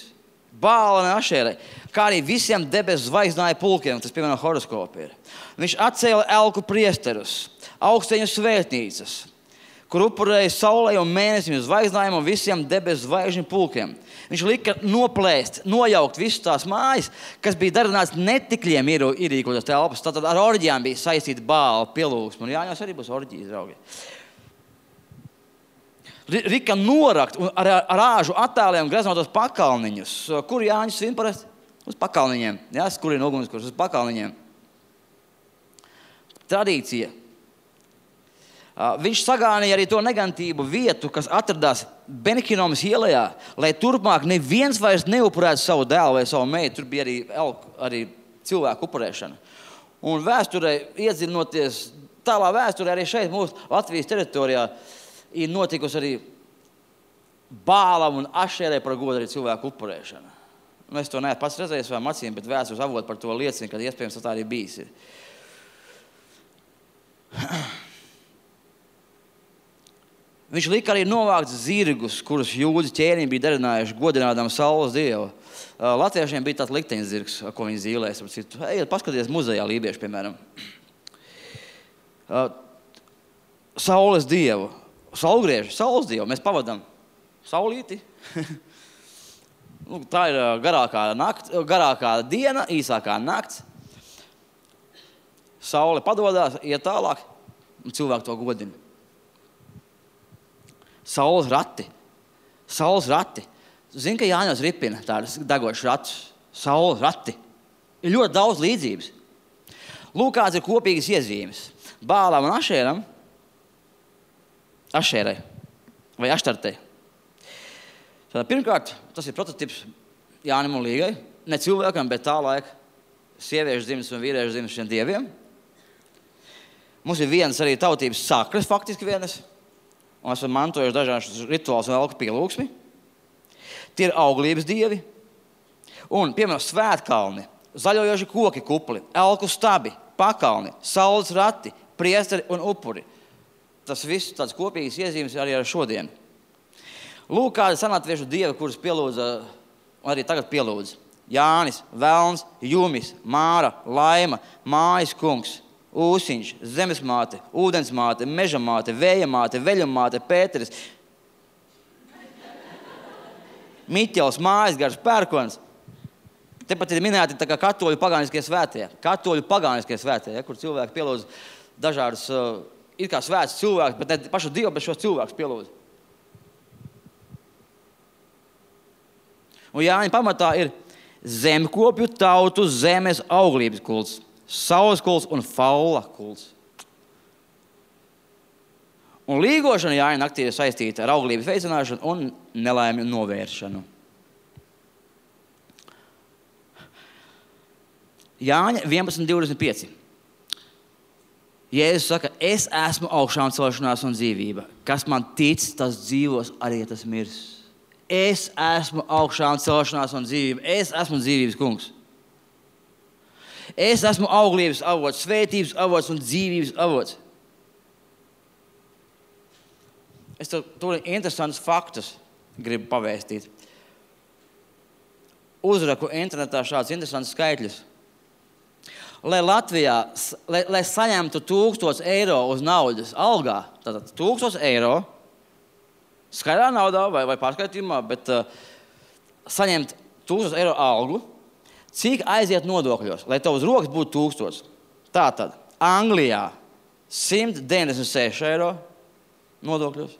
Bāla un Ašērai. Kā arī visiem debesu zvaigznāju pulkiem, tas piemēram horoskopi ir. Viņš atcēla elku priesterus, augsteņu svētnīcas, kur upurēja saulei un mēnesim zvaigznājiem un visiem debesu zvaigžņu pulkiem. Viņš lika noplēst, nojaukt visas tās mājas, kas bija darināts netikļiem ierīkotas telpas. Tātad ar orģijām bija saistīta Bāla pielūgsme. Un Jāņos arī būs orģijas, draugi. Rika norakt un ar, ar āžu attēliem greznotos pakalniņus. Kur Jāņus svin parasti? Uz pakalniņiem. Jā, kur ir ugunskurs? Uz pakalniņiem. Tradīcija. Viņš sagānīja arī to negantību vietu, kas atradās Benihinomas ielajā, lai turpmāk neviens vairs neupurētu savu dēlu vai savu meitu. Tur bija arī, arī cilvēku upurēšana. Un vēsturē, iedzinoties tālā vēsturē, arī šeit mūsu Latvijas teritorijā ir notikusi arī Bālam un Ašērai par godu arī cilvēku upurēšana. Nu, es to neesmu pats redzējis savām acīm, bet vēstures avoti par to liecina, kad iespējams tā arī bijis ir. Viņš lika arī novākt zirgus, kurus jūdi ķēniņi bija darinājuši godinādam saules dievu. Latviešiem bija tāds likteņzirgs, ko viņi zīlēs. Ejiet, paskaties muzejā lībieši, piemēram. Saules dievu. Saulgrieži, saules dievu. Mēs pavadām saulīti. Tā ir garākā, nakt, garākā diena, īsākā nakts. Saule padodās, iet tālāk, un cilvēki to godina. Saules rati. Saules rati. Zini, ka Jāņos ripina tādas degošas ratus. Saules rati. Ir ļoti daudz līdzības. Lūk, kāds ir kopīgas iezīmes. Bālam un Ašēram. Ašērai. Vai Aštartei. Tātad, pirmkārt, tas ir prototips Jānim un Līgai. Ne cilvēkam, bet tā laika sieviešu dzimis un vīriešu dzimis šiem dieviem. Mums ir vienas arī tautības sakras, faktiski vienas. Un esam mantojuši dažādas rituālus un elku pielūgsmi. Tie ir auglības dievi. Un, piemēram, svētkalni, zaļojoši koki kupli, elku stabi, pakalni, saules rati, priesteri un upuri. Tas viss tāds kopīgs iezīmes arī ar šodien. Lūk, kādi senlatviešu dievi, kurus pielūdza, arī tagad pielūdza. Jānis, Velns, Jumis, Māra, Laima, Mājas kungs, Ūsiņš, zemesmāte, ūdensmāte, mežamāte, vējamāte, veļamāte, Pēteris, Miķels, Mājasgars, Pērkons. Tepat ir minēti tā kā katoļu pagāniskie svētie. Katoļu pagāniskie svētie, ja, kur cilvēki pielūdz dažādas, uh, ir kā svēts cilvēks, bet ne pašu Dievu, bet šos cilvēkus pielūdz. Un Jāņa pamatā ir zemkopju tautu zemes auglības kults. Saules kults un faula kults. Un līgošana Jāņa naktī ir saistīta ar auglības veicināšanu un nelaimju novēršanu. Jāņa vienpadsmit divdesmit pieci. Jēzus saka, es esmu augšām celšanās un dzīvība. Kas man tic, tas dzīvos, arī tas mirs. Es esmu augšām celšanās un dzīvība. Es esmu dzīvības kungs. Es esmu auglības avots, svētības avots un dzīvības avots. Es tev tur interesantus faktus gribu pavēstīt. uzraku internetā šādus interesantus skaitļus. Lai Latvijā, lai, lai saņemtu tūkstots eiro uz naudas algā, tātad tūkstots eiro, skaidrā naudā vai, vai pārskaitījumā, bet uh, saņemt tūkstots eiro algu, cik aiziet nodokļos, lai tev uz rokas būtu tūkstots. Tātad, Anglijā simt deviņdesmit seši eiro nodokļos,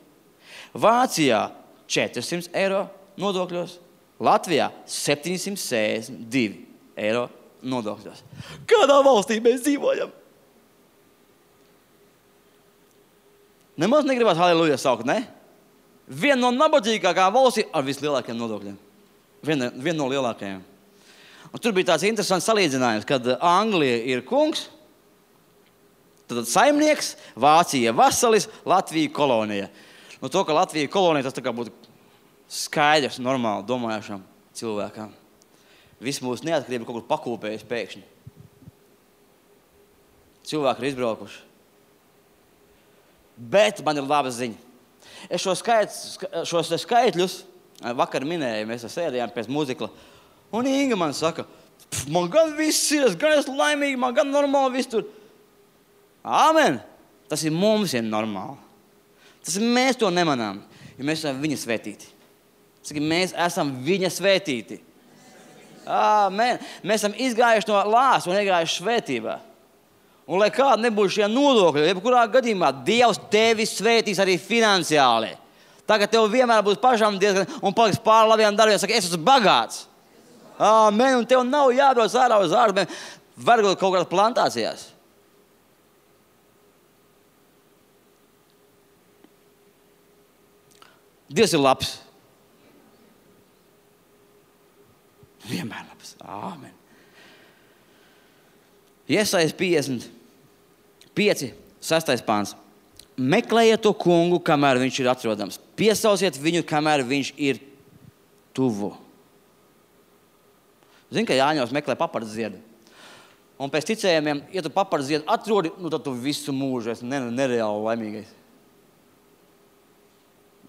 Vācijā četri simti eiro nodokļos, Latvijā septiņsimt sešdesmit divi eiro nodokļos. Kādā valstī mēs dzīvojam? Nemaz negribas halleluja saukt, ne? Viena no nabadzīgākām valstīm ar vislielākajiem nodokļiem. Viena, viena no lielākajiem. Un tur bija tāds interesants salīdzinājums, kad Anglija ir kungs, tad saimnieks, Vācija vasalis, Latvija kolonija. Nu, to, ka Latvija kolonija, tas tā kā būtu skaidrs, normāli domājušam cilvēkam. Viss mūsu neatkarība kaut kur pakūpējas pēkšņi. Cilvēki ir izbraukuši. Bet man ir laba ziņa. Es šo skait, šos skaitļus vakar minēju, mēs sēdējām pēc muzikla. Un Inga man saka, man gan viss ir, gan es laimīgi, man gan normāli viss tur. Āmen! Tas ir mums ir normāli. Tas ir mēs to nemanām, jo mēs esam viņa svētīti. Tas ir mēs esam viņa svētīti. Āmen! Mēs esam izgājuši no lāsa un iegājuši svētībā. Un lai kāda nebūtu šie nodokļi, jebkurā gadījumā Dievs tevi svētīs arī finansiāli. Tagad tev vienmēr būs pašam diezgan un paliks pār labiem darbiem. Saka, es esmu bagāts. Āmen! Un tev nav jābrauc ārā uz ārzemēm, varbūt kaut kādās plantācijās. Dievs ir labs. Vienmēr labs. Āmen. Iesajas piecdesmit pieci, sestais pāns. Meklējiet to kungu, kamēr viņš ir atrodams. Piesauciet viņu, kamēr viņš ir tuvu. Zini, ka Jāņos meklē papardes ziedu. Un pēc ticējumiem, ja tu papardes ziedu atrodi, nu tad tu visu mūžu esi nereāli laimīgais.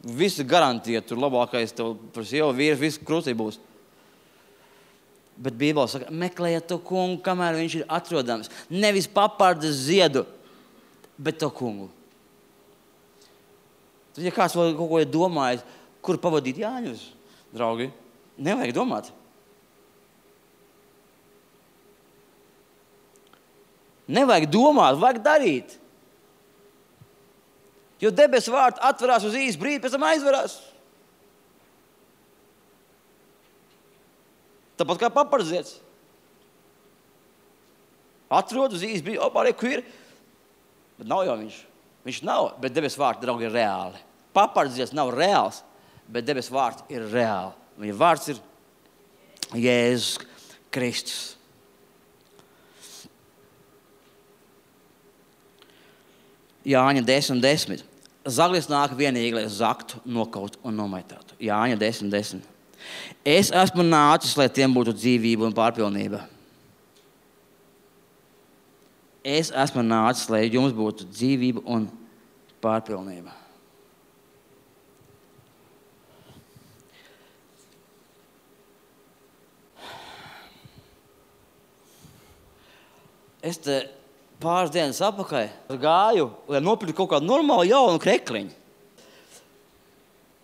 Visu garantija, tur labākais tev par sievu vīrs, visu krūtī būs. Bet Bībele saka, meklējiet to kungu, kamēr viņš ir atrodams. Nevis papardes ziedu, bet to kungu. Tad, ja kāds vēl kaut ko ir domājis, kur pavadīt Jāņus, draugi, nevajag domāt. Nevajag domāt, vajag darīt. Jo debesu vārti atverās uz īsu brīdi, pēc tam aizverās. Tāpat kā papardziets. Atrod uz īsti brīdi, opā, reku ir. Bet nav jau viņš. Viņš nav, bet debes vārti, draugi, ir reāli. Papardziets nav reāls, bet debes vārti ir reāli. Viņa vārds ir Jēzus Kristus. Jāņa desmit desmit. Zaglis nāk vienīgi, lai zaktu, nokaut un nomaitātu. Jāņa desmit desmit. Es esmu nācis, lai tiem būtu dzīvība un pārpilnība. Es esmu nācis, lai jums būtu dzīvība un pārpilnība. Es te pāris dienas apakaļ gāju, lai nopirktu kaut kādu normālu jaunu krekliņu.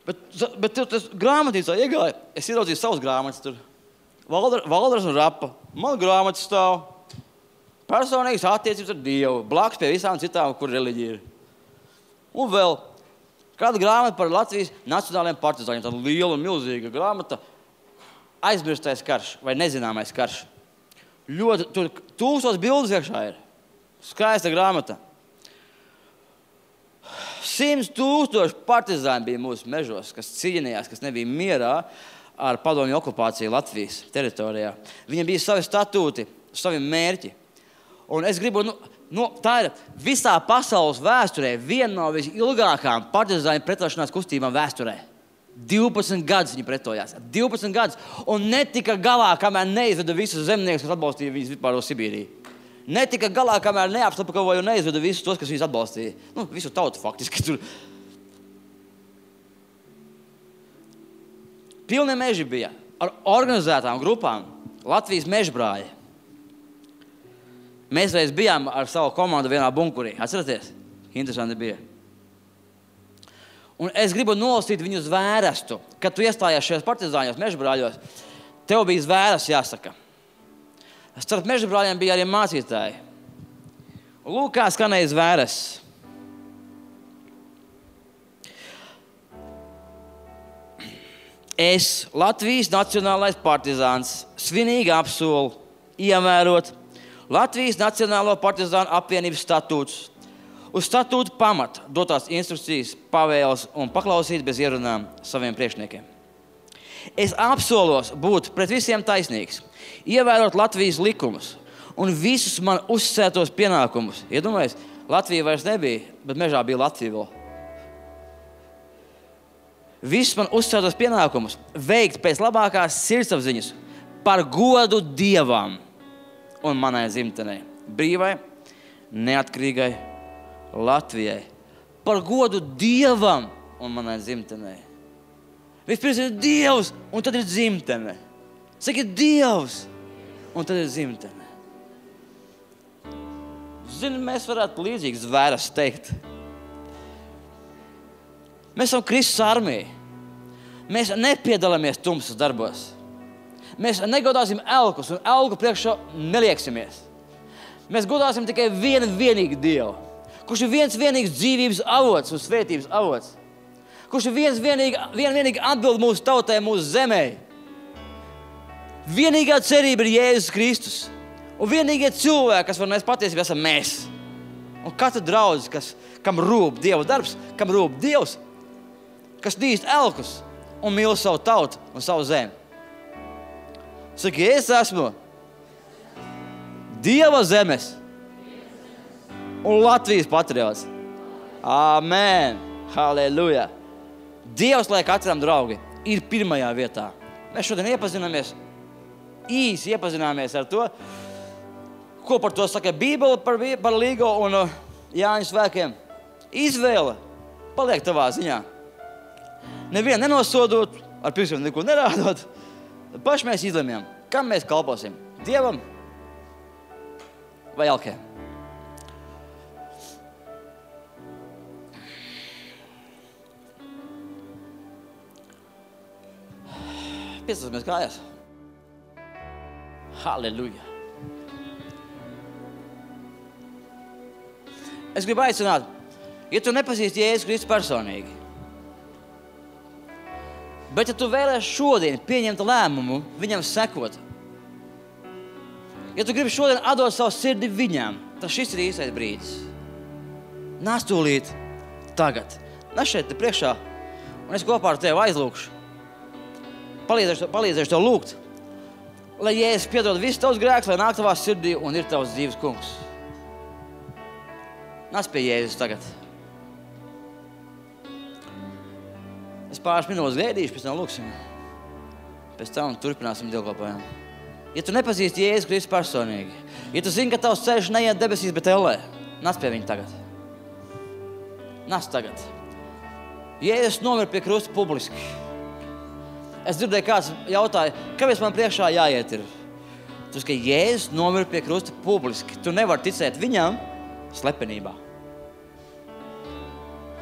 Bet, bet tas grāmatnīcā iegāja, es ieraudzīju savus grāmatas tur. Valdar, Valdars un Rapa. Man grāmatas stāv. Personīgas attiecības ar Dievu. Blakus pie visām citām, kur reliģija ir. Un vēl kāda grāmata par Latvijas nacionālajiem partizāņiem. Tāda liela, milzīga grāmata. Aizmirstais karš vai nezināmais karš. Ļoti, tur tūkstoš bildes iekšā ir. Skaista grāmata. Simts tūkstoši partizāni bija mūsu mežos, kas cīnījās, kas nebija mierā ar padomju okupāciju Latvijas teritorijā. Viņiem bija savi statūti, savi mērķi. Un es gribu, nu, nu, tā ir visā pasaules vēsturē viena no visilgākām partizāņu pretošanās kustībām vēsturē. divpadsmit gadus viņi pretojās. divpadsmit gadus. Un netika galā, kamēr neizveda visus zemniekus, kas atbalstīja viņus vispār uz Sibīriju. Netika galā, kamēr neapslapkavoja un neizveda visus tos, kas viņus atbalstīja. Nu, visu tautu faktiski tur. Pilni meži bija. ar organizētām grupām Latvijas mežbrāļi. Mēs reiz bijām ar savu komandu vienā bunkurī. Atceraties? Interesanti bija. Un es gribu nolasīt viņu zvērestu. Kad tu iestājies šajos partizāņos, mežbrāļos, tev bija zvēres jāsaka. Starp mežbrāļiem bija arī mācītāji. Lūk, kā skanēja zvēres. Es, Latvijas nacionālais partizāns, svinīgi apsolu ievērot Latvijas Nacionālo partizānu apvienības statūtus, uz statūtu pamata dotās instrukcijas, pavēles un paklausīt bez ierunām saviem priekšniekiem. Es apsolos būt pret visiem taisnīgs, ievērot Latvijas likumus un visus man uzsētos pienākumus. Iedomājies, Latvija vairs nebija, bet mežā bija Latvija vēl. Visus man uzsētos pienākumus veikt pēc labākās sirdsapziņas par godu Dievam un manai dzimtenei, brīvai, neatkarīgai Latvijai. Par godu Dievam un manai dzimtenei. Vispirms ir Dievs, un tad ir dzimtene. Saki, Dievs, un tad ir dzimtene. Zini, mēs varētu līdzīgas zvēras teikt. Mēs esam Kristus armija. Mēs nepiedalāmies tumsas darbos. Mēs negodāsim elkus, un elku priekšā nelieksimies. Mēs godāsim tikai vienu vienīgu Dievu, kurš ir viens vienīgs dzīvības avots un svētības avots. Kurš ir viens vienīgi, vien vienīgi atbild mūsu tautai, mūsu zemē. Vienīgā cerība ir Jēzus Kristus. Un vienīgie cilvēki, kas var mēs patiesībā esam mēs. Un katra draudz, kas, kam rūp Dieva darbs, kam rūp Dievs, kas nīst elkus un mīl savu tautu un savu zemi. Saki, es esmu Dieva zemes un Latvijas patriots. Amen. Halleluja. Dievs, lai katram draugi, ir pirmajā vietā. Mēs šodien iepazināmies, īsi iepazināmies ar to, ko par to saka Bībele par, par Līgo un Jāņu svēkiem. Izvēle paliek tavā ziņā. Nevienu nenosodot, ar pirkstiem neko nerādot. Paši mēs izlemjam, kam mēs kalposim. Dievam vai elkiem. Piestāsimies kājās. Halleluja. Es gribu aicināt, ja tu nepazīsti Jēzus Kristus personīgi, bet ja tu vēlies šodien pieņemt lēmumu viņam sekot, ja tu gribi šodien atdot savu sirdi viņam, tad šis ir īstais brīdis. Nāc tūlīt tagad. Nāc šeit te priekšā, un es kopā ar tevi aizlūkšu. Palīdzēšu, palīdzēšu tev lūgt, lai Jēzus piedod visus tavus grēkus, lai nāk tavā sirdī un ir tavs dzīves kungs. Nāc pie Jēzus tagad. Es pāris minūtes gaidīšu, pēc tam lūksim. Pēc tam turpināsim dievkalpojumu. Ja tu nepazīsti Jēzus Kristus personīgi, ja tu zini, ka tavs ceļš neiet debesīs, bet ellē, nāc pie viņa tagad. Nāc tagad. Jēzus nomira pie krusta publiski. Es dzirdēju, kāds jautāja, kāpēc man priekšā jāiet ir? Tu saki, ka Jēzus nomira pie krusta publiski. Tu nevari ticēt viņam slepenībā.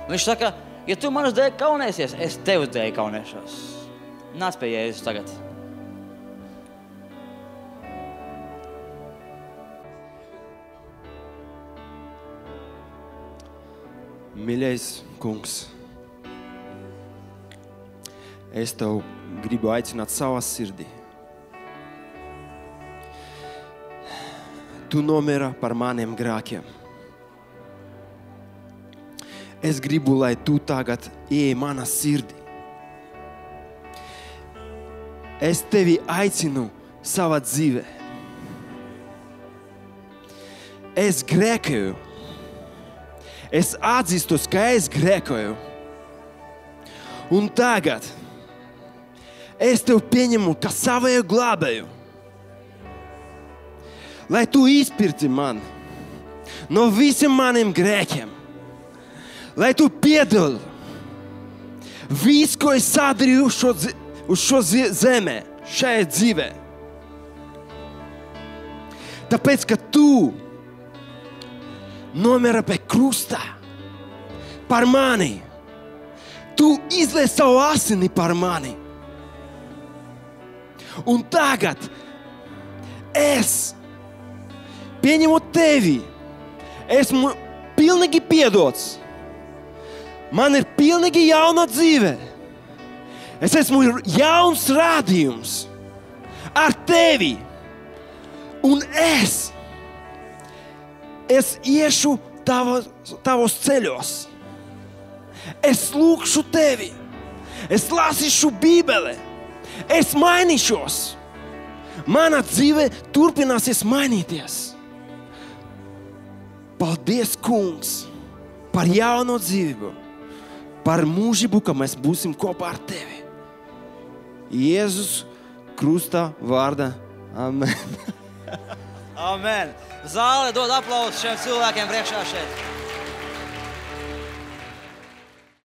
Un viņš saka, ja tu manas dēļ kaunēsies, es tev dēļ kaunēšos. Nāc pie Jēzus tagad. Mīļais kungs, es tev gribu aicināt savā sirdī. Tu nomira par maniem grēkiem. Es gribu, lai tu tagad ieej manā sirdī. Es tevi aicinu savā dzīvē. Es grēkoju. Es atzīstu, ka es grēkoju. Un tagad es tev pieņemu kā savēju glābēju. Lai tu izpirti man no visiem maniem grēkiem. Lai tu piedod visu, ko es sadarīju šo, uz šo zemē, šajā dzīvē. Tāpēc, ka tu nomira pie krusta par mani. Tu izlies savu asini par mani. Un tagad es, pieņemot tevi, esmu pilnīgi piedots. Man ir pilnīgi jauna dzīve. Es esmu jauns rādījums ar tevi. Un es, es iešu tavos, tavos ceļos. Es lūkšu tevi. Es lasīšu Bībeli. Es mainīšos. Mana dzīve turpināsies mainīties. Paldies, Kungs, par jauno dzīvību, par mūžību, ka mēs būsim kopā ar tevi. Jēzus krusta vārdā. Amen. Amen. Zāle dod aplausus šiem cilvēkiem priekšā šeit.